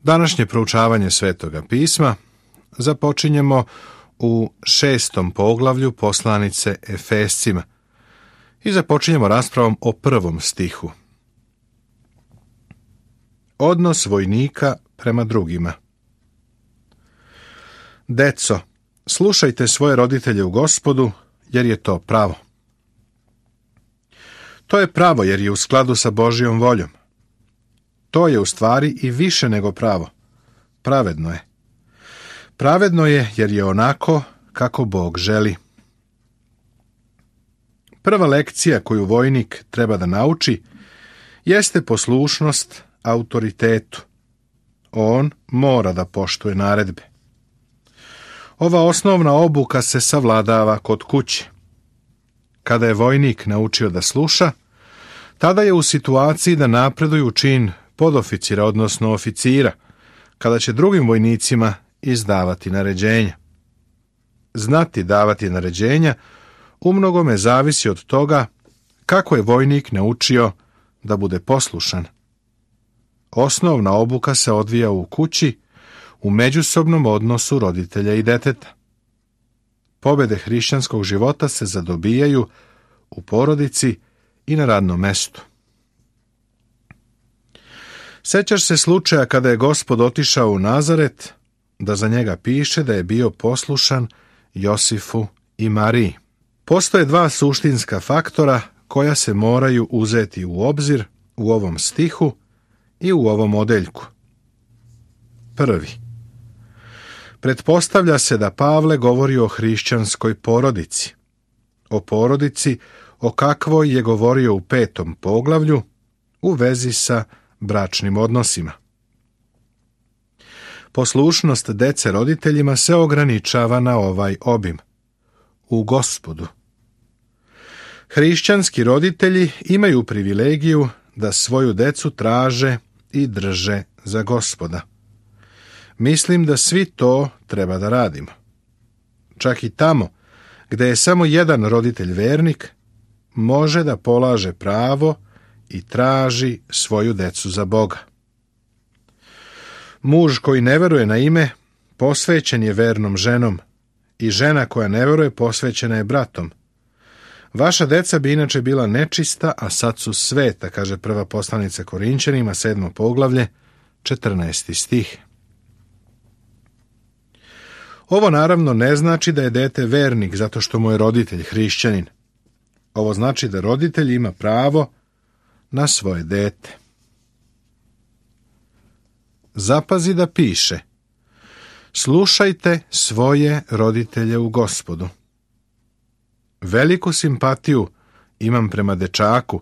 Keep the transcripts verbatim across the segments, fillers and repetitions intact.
Današnje proučavanje Svetoga pisma započinjemo u šestom poglavlju poslanice Efescima i započinjemo raspravom o prvom stihu. Odnos vojnika prema drugima. Deco, slušajte svoje roditelje u Gospodu, jer je to pravo. To je pravo jer je u skladu sa Božjom voljom. To je u stvari i više nego pravo. Pravedno je. Pravedno je jer je onako kako Bog želi. Prva lekcija koju vojnik treba da nauči jeste poslušnost autoritetu. On mora da poštuje naredbe. Ova osnovna obuka se savladava kod kuće. Kada je vojnik naučio da sluša, tada je u situaciji da napreduje u čin podoficira, odnosno oficira, kada će drugim vojnicima izdavati naređenja. Znati davati naređenja umnogome zavisi od toga kako je vojnik naučio da bude poslušan. Osnovna obuka se odvija u kući, u međusobnom odnosu roditelja i deteta. Pobjede hrišćanskog života se zadobijaju u porodici i na radnom mestu. Sećaš se slučaja kada je Gospod otišao u Nazaret, da za njega piše da je bio poslušan Josifu i Mariji. Postoje dva suštinska faktora koja se moraju uzeti u obzir u ovom stihu i u ovom odeljku. Prvi. Pretpostavlja se da Pavle govori o hrišćanskoj porodici. O porodici o kakvoj je govorio u petom poglavlju u vezi sa bračnim odnosima. Poslušnost dece roditeljima se ograničava na ovaj obim. U Gospodu. Hrišćanski roditelji imaju privilegiju da svoju decu traže i drže za Gospoda. Mislim da svi to treba da radimo. Čak i tamo gde je samo jedan roditelj vernik, može da polaže pravo i traži svoju decu za Boga. Muž koji ne veruje na ime, posvećen je vernom ženom, i žena koja ne veruje posvećena je bratom. Vaša deca bi inače bila nečista, a sad su sveta, kaže prva poslanica Korinćanima, sedmo poglavlje, četrnaesti stih. Ovo naravno ne znači da je dete vernik zato što mu je roditelj hrišćanin. Ovo znači da roditelj ima pravo na svoje dete. Zapazi da piše: slušajte svoje roditelje u Gospodu. Veliku simpatiju imam prema dečaku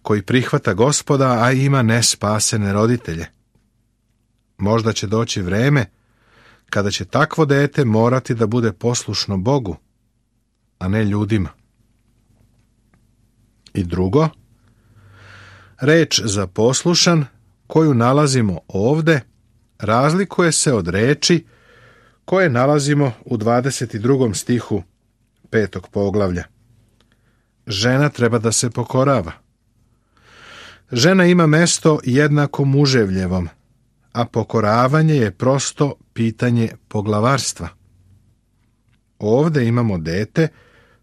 koji prihvata Gospoda, a ima nespasene roditelje. Možda će doći vreme kada će takvo dete morati da bude poslušno Bogu, a ne ljudima. I drugo, reč za poslušan koju nalazimo ovde razlikuje se od reči koje nalazimo u dvadeset drugom stihu petog poglavlja. Žena treba da se pokorava. Žena ima mesto jednako muževljevom, a pokoravanje je prosto pitanje poglavarstva. Ovde imamo dete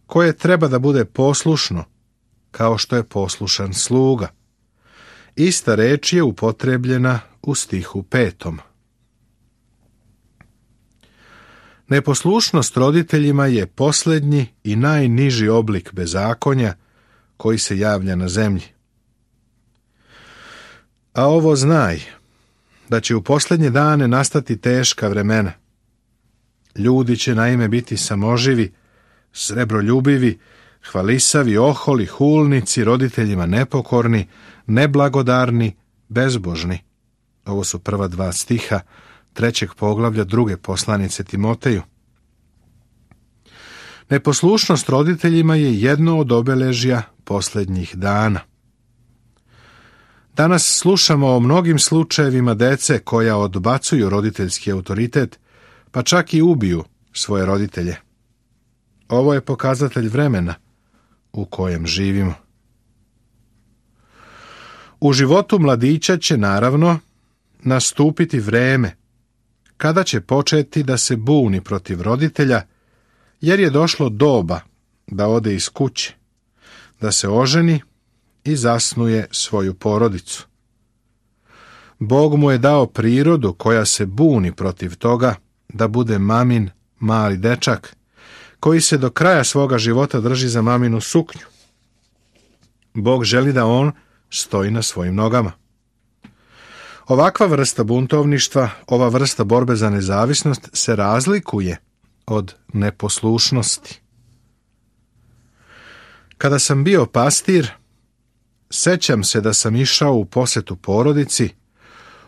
koje treba da bude poslušno, kao što je poslušan sluga. Ista reč je upotrebljena u stihu petom. Neposlušnost roditeljima je posljednji i najniži oblik bezakonja koji se javlja na zemlji. A ovo znaj, da će u posljednje dane nastati teška vremena. Ljudi će naime biti samoživi, srebroljubivi, hvalisavi, oholi, hulnici, roditeljima nepokorni, neblagodarni, bezbožni. Ovo su prva dva stiha trećeg poglavlja druge poslanice Timoteju. Neposlušnost roditeljima je jedno od obeležja posljednjih dana. Danas slušamo o mnogim slučajevima dece koja odbacuju roditeljski autoritet, pa čak i ubiju svoje roditelje. Ovo je pokazatelj vremena u kojem živimo. U životu mladića će, naravno, nastupiti vreme kada će početi da se buni protiv roditelja, jer je došlo doba da ode iz kuće, da se oženi i zasnuje svoju porodicu. Bog mu je dao prirodu koja se buni protiv toga da bude mamin mali dečak, koji se do kraja svoga života drži za maminu suknju. Bog želi da on stoji na svojim nogama. Ovakva vrsta buntovništva, ova vrsta borbe za nezavisnost se razlikuje od neposlušnosti. Kada sam bio pastir, sećam se da sam išao u posetu porodici,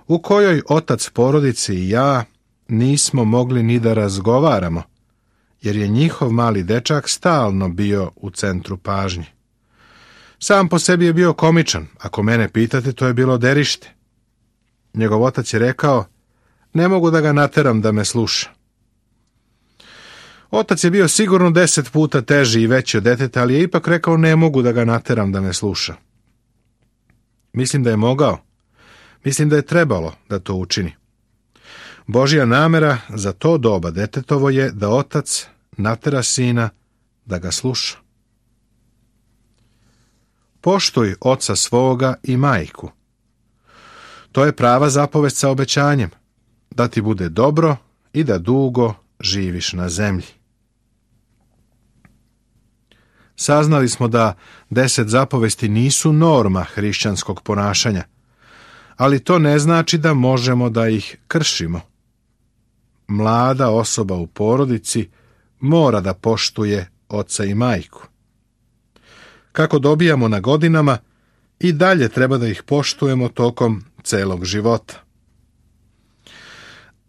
u kojoj otac porodice i ja nismo mogli ni da razgovaramo, jer je njihov mali dečak stalno bio u centru pažnje. Sam po sebi je bio komičan, ako mene pitate, to je bilo derište. Njegov otac je rekao, ne mogu da ga nateram da me sluša. Otac je bio sigurno deset puta teži i veći od deteta, ali je ipak rekao, ne mogu da ga nateram da me sluša. Mislim da je mogao. Mislim da je trebalo da to učini. Božja namera za to doba detetovo je da otac natera sina da ga sluša. Poštuj oca svoga i majku. To je prava zapovest sa obećanjem, da ti bude dobro i da dugo živiš na zemlji. Saznali smo da deset zapovesti nisu norma hrišćanskog ponašanja, ali to ne znači da možemo da ih kršimo. Mlada osoba u porodici mora da poštuje oca i majku. Kako dobijamo na godinama, i dalje treba da ih poštujemo tokom celog života.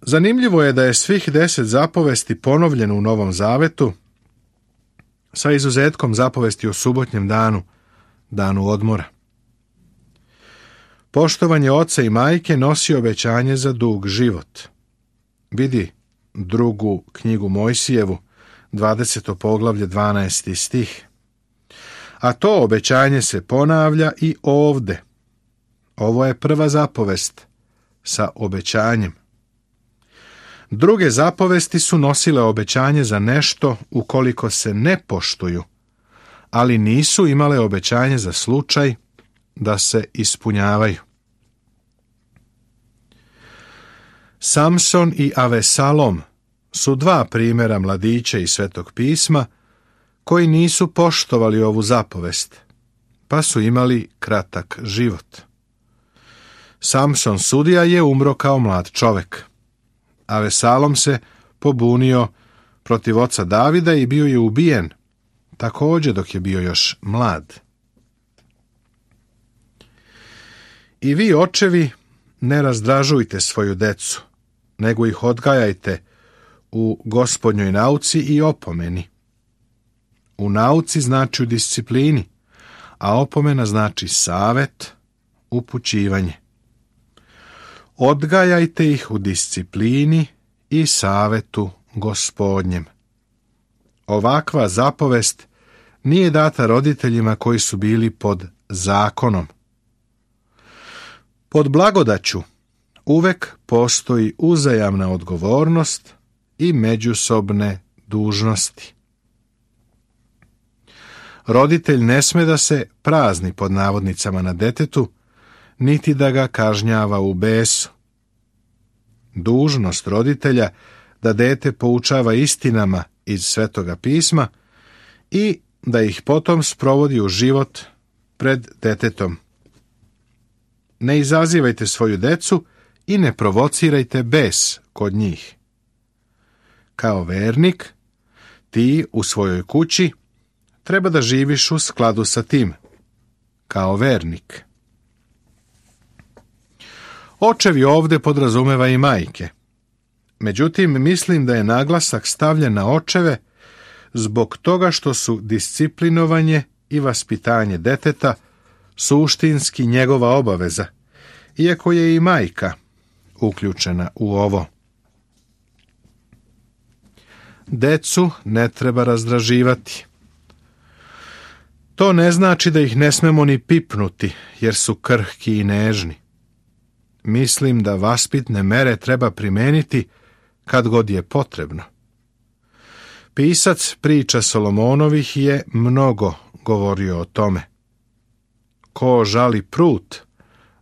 Zanimljivo je da je svih deset zapovesti ponovljeno u Novom Zavetu, sa izuzetkom zapovesti o subotnjem danu, danu odmora. Poštovanje oca i majke nosi obećanje za dug život. Vidi drugu knjigu Mojsijevu, dvadeseto poglavlje, dvanaesti stih. A to obećanje se ponavlja i ovde. Ovo je prva zapovest sa obećanjem. Druge zapovesti su nosile obećanje za nešto ukoliko se ne poštuju, ali nisu imale obećanje za slučaj da se ispunjavaju. Samson i Avesalom su dva primjera mladića iz Svetog pisma koji nisu poštovali ovu zapovest, pa su imali kratak život. Samson sudija je umro kao mlad čovek. Avesalom se pobunio protiv oca Davida i bio je ubijen, također dok je bio još mlad. I vi, očevi, ne razdražujte svoju decu, nego ih odgajajte u Gospodnjoj nauci i opomeni. U nauci znači u disciplini, a opomena znači savet, upućivanje. Odgajajte ih u disciplini i savetu Gospodnjem. Ovakva zapovest nije data roditeljima koji su bili pod zakonom. Pod blagodaću uvek postoji uzajamna odgovornost i međusobne dužnosti. Roditelj ne sme da se prazni pod navodnicama na detetu, niti da ga kažnjava u besu. Dužnost roditelja da dete poučava istinama iz Svetoga pisma i da ih potom sprovodi u život pred detetom. Ne izazivajte svoju decu i ne provocirajte bes kod njih. Kao vernik, ti u svojoj kući treba da živiš u skladu sa tim, kao vernik. Očevi ovde podrazumeva i majke. Međutim, mislim da je naglasak stavljen na očeve zbog toga što su disciplinovanje i vaspitanje deteta suštinski njegova obaveza, iako je i majka uključena u ovo. Decu ne treba razdraživati. To ne znači da ih ne smemo ni pipnuti, jer su krhki i nežni. mislim da vaspitne mere treba primeniti kad god je potrebno. Pisac priča Solomonovih je mnogo govorio o tome. Ko žali prut,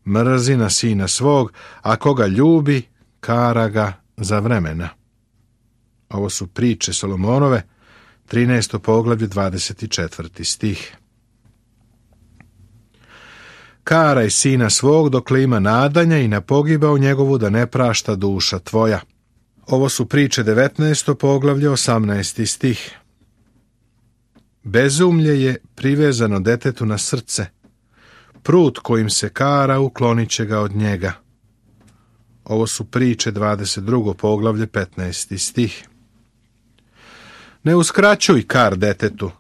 mrzi na sina svog, a koga ljubi, kara ga za vremena. Ovo su priče Solomonove, trinaesto poglavlje, dvadeset četvrti stih. Karaj sina svog dokle ima nadanja i na pogibao njegovu da ne prašta duša tvoja. Ovo su priče devetnaesto poglavlje, osamnaesti stih. Bezumlje je privezano detetu na srce. Prut kojim se kara uklonit će ga od njega. Ovo su priče dvadeset drugo poglavlje, petnaesti stih. Ne uskraćuj kar detetu.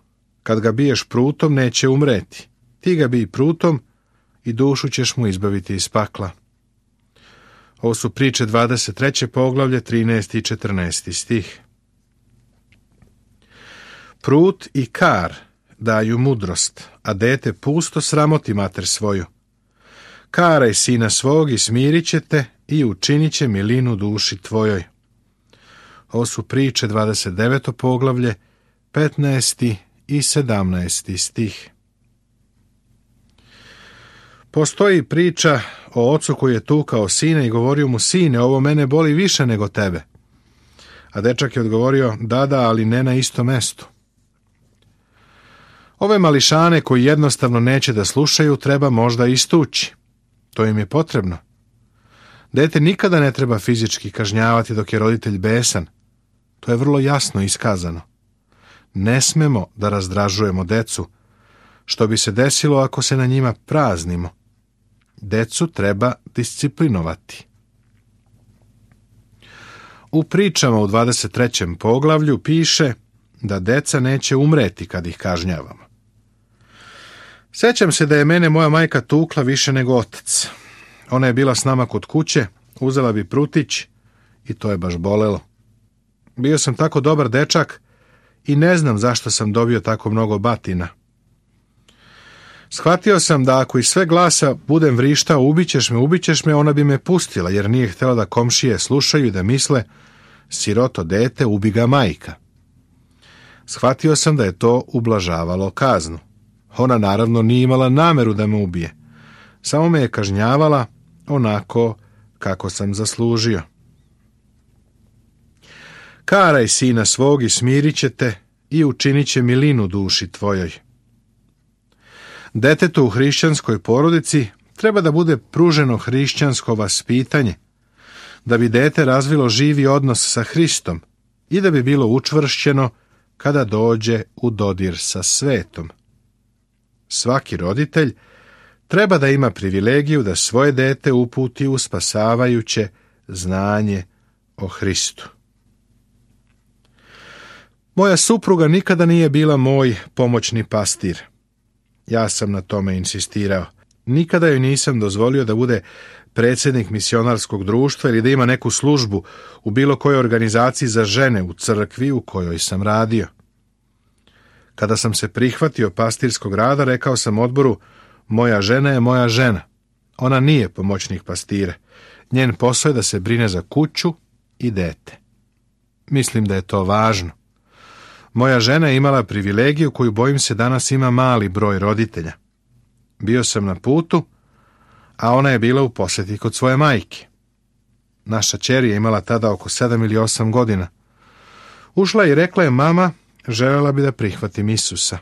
Kad ga biješ prutom, neće umreti. Ti ga bij prutom i dušu ćeš mu izbaviti iz pakla. Ovo su priče dvadeset treće poglavlje, trinaesti i četrnaesti stih. Prut i kar daju mudrost, a dete pusto sramoti mater svoju. Karaj sina svog i smirit će te i učinit će milinu duši tvojoj. Ovo su priče dvadeset deveto poglavlje, petnaesti i sedamnaesti stih. Postoji priča o ocu koji je tukao sina i govorio mu: sine, ovo mene boli više nego tebe. A dečak je odgovorio: da, da, ali ne na istom mestu. Ove mališane koji jednostavno neće da slušaju treba možda istući. To im je potrebno. Dete nikada ne treba fizički kažnjavati dok je roditelj besan. To je vrlo jasno iskazano. Ne smemo da razdražujemo decu, što bi se desilo ako se na njima praznimo. Decu treba disciplinovati. U pričama u dvadeset trećem poglavlju piše da deca neće umreti kad ih kažnjavamo. Sjećam se da je mene moja majka tukla više nego otac. Ona je bila s nama kod kuće, uzela bi prutić i to je baš bolelo. Bio sam tako dobar dečak i ne znam zašto sam dobio tako mnogo batina. Shvatio sam da ako iz sve glasa budem vrištao ubićeš me, ubićeš me, ona bi me pustila, jer nije htjela da komšije slušaju i da misle: siroto dete, ubi ga majka. Shvatio sam da je to ublažavalo kaznu. Ona naravno nije imala nameru da me ubije. Samo me je kažnjavala onako kako sam zaslužio. Karaj sina svog i smirit će te i učinit će milinu duši tvojoj. Detetu u hrišćanskoj porodici treba da bude pruženo hrišćansko vaspitanje, da bi dete razvilo živi odnos sa Hristom i da bi bilo učvršćeno kada dođe u dodir sa svetom. Svaki roditelj treba da ima privilegiju da svoje dete uputi u spasavajuće znanje o Hristu. Moja supruga nikada nije bila moj pomoćni pastir. Ja sam na tome insistirao. Nikada joj nisam dozvolio da bude predsjednik misionarskog društva ili da ima neku službu u bilo kojoj organizaciji za žene u crkvi u kojoj sam radio. Kada sam se prihvatio pastirskog rada, rekao sam odboru: moja žena je moja žena. Ona nije pomoćnik pastire. Njen posao je da se brine za kuću i dete. Mislim da je to važno. Moja žena je imala privilegiju koju, bojim se, danas ima mali broj roditelja. Bio sam na putu, a ona je bila u posjeti kod svoje majke. Naša ćer je imala tada oko sedam ili osam godina. Ušla je i rekla je: mama, željela bi da prihvatim Isusa.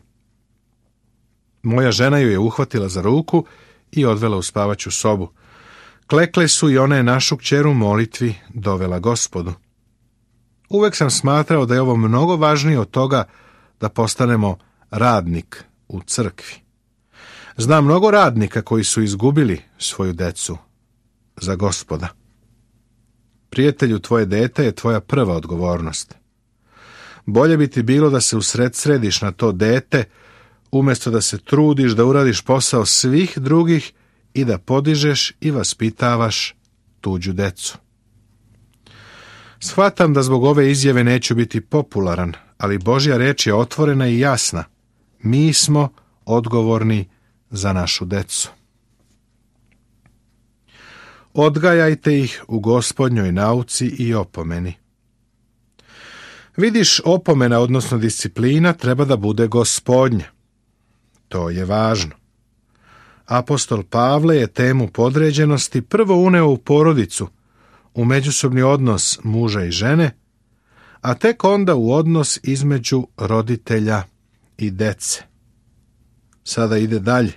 Moja žena ju je uhvatila za ruku i odvela u spavaću sobu. Klekle su i ona je našu kćer u molitvi dovela Gospodu. Uvek sam smatrao da je ovo mnogo važnije od toga da postanemo radnik u crkvi. Znam mnogo radnika koji su izgubili svoju decu za Gospoda. Prijatelju, tvoje dete je tvoja prva odgovornost. Bolje bi ti bilo da se usred središ na to dete, umjesto da se trudiš da uradiš posao svih drugih i da podižeš i vaspitavaš tuđu decu. Shvatam da zbog ove izjave neću biti popularan, ali Božja reč je otvorena i jasna. Mi smo odgovorni za našu decu. odgajajte ih u Gospodnjoj nauci i opomeni. Vidiš, opomena, odnosno disciplina, treba da bude Gospodnja. To je važno. Apostol Pavle je temu podređenosti prvo uneo u porodicu, u međusobni odnos muža i žene, a tek onda u odnos između roditelja i dece. Sada ide dalje.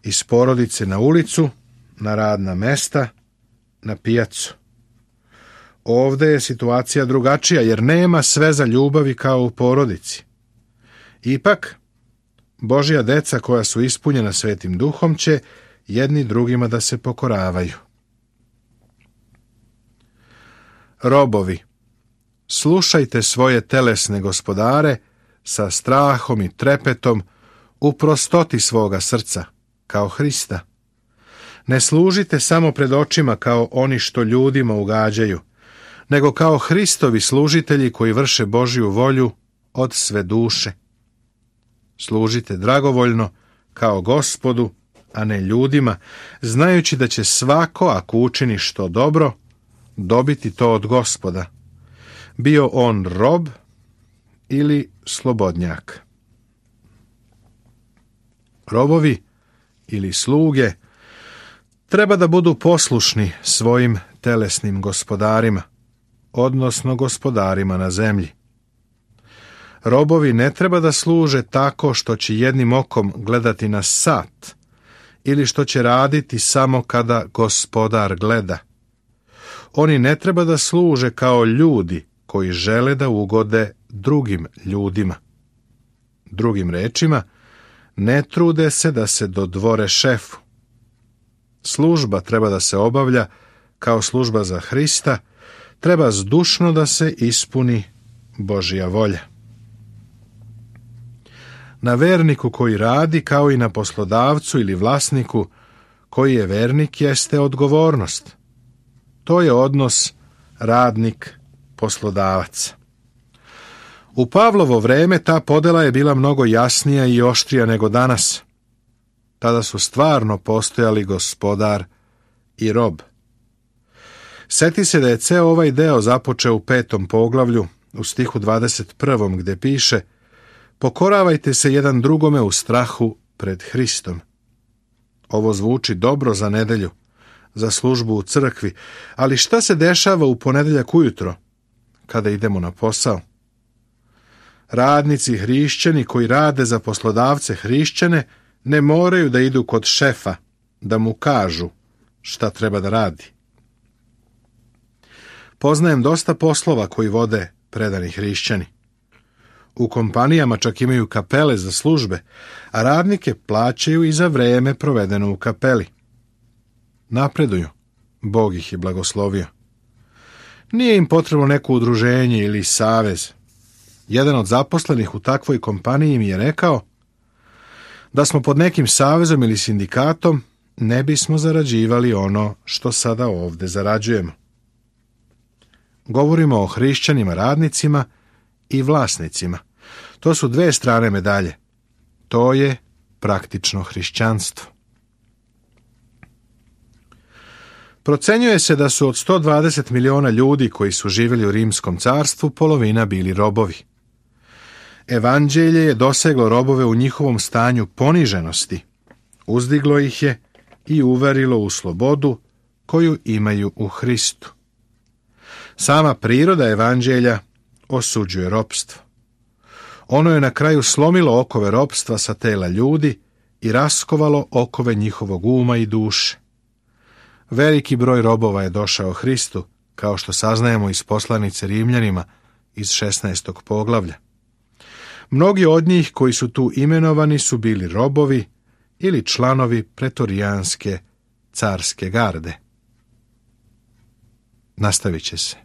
Iz porodice na ulicu, na radna mesta, na pijacu. Ovde je situacija drugačija, jer nema sveza ljubavi kao u porodici. Ipak, Božja deca koja su ispunjena Svetim Duhom će jedni drugima da se pokoravaju. Robovi, slušajte svoje telesne gospodare sa strahom i trepetom u prostoti svoga srca, kao Hrista. Ne služite samo pred očima kao oni što ljudima ugađaju, nego kao Hristovi služitelji koji vrše Božju volju od sve duše. Služite dragovoljno kao Gospodu, a ne ljudima, znajući da će svako, ako učini što dobro, dobiti to od Gospoda, bio on rob ili slobodnjak. Robovi ili sluge treba da budu poslušni svojim telesnim gospodarima, odnosno gospodarima na zemlji. Robovi ne treba da služe tako što će jednim okom gledati na sat ili što će raditi samo kada gospodar gleda. Oni ne treba da služe kao ljudi koji žele da ugode drugim ljudima. Drugim rečima, ne trude se da se dodvore šefu. Služba treba da se obavlja kao služba za Hrista, treba zdušno da se ispuni Božja volja. Na verniku koji radi, kao i na poslodavcu ili vlasniku koji je vernik, jeste odgovornost. To je odnos radnik-poslodavac. U Pavlovo vreme ta podela je bila mnogo jasnija i oštrija nego danas. Tada su stvarno postojali gospodar i rob. Sjeti se da je ceo ovaj deo započeo u petom poglavlju, u stihu dvadeset prvom, gde piše: pokoravajte se jedan drugome u strahu pred Hristom. Ovo zvuči dobro za nedelju, za službu u crkvi, ali šta se dešava u ponedeljak ujutro, kada idemo na posao? Radnici hrišćani koji rade za poslodavce hrišćane ne moraju da idu kod šefa da mu kažu šta treba da radi. Poznajem dosta poslova koji vode predani hrišćani. U kompanijama čak imaju kapele za službe, a radnike plaćaju i za vreme provedeno u kapeli. Napreduju, Bog ih je blagoslovio. Nije im potrebno neko udruženje ili savez. Jedan od zaposlenih u takvoj kompaniji mi je rekao: da smo pod nekim savezom ili sindikatom, ne bismo zarađivali ono što sada ovde zarađujemo. Govorimo o hrišćanima radnicima i vlasnicima. To su dve strane medalje. To je praktično hrišćanstvo. Procenjuje se da su od sto dvadeset miliona ljudi koji su živjeli u Rimskom carstvu polovina bili robovi. Evanđelje je doseglo robove u njihovom stanju poniženosti, uzdiglo ih je i uverilo u slobodu koju imaju u Hristu. Sama priroda evanđelja osuđuje ropstvo. Ono je na kraju slomilo okove ropstva sa tela ljudi i raskovalo okove njihovog uma i duše. Veliki broj robova je došao Hristu, kao što saznajemo iz poslanice Rimljanima iz šesnaestog poglavlja. Mnogi od njih koji su tu imenovani su bili robovi ili članovi pretorijanske carske garde. Nastavit će se.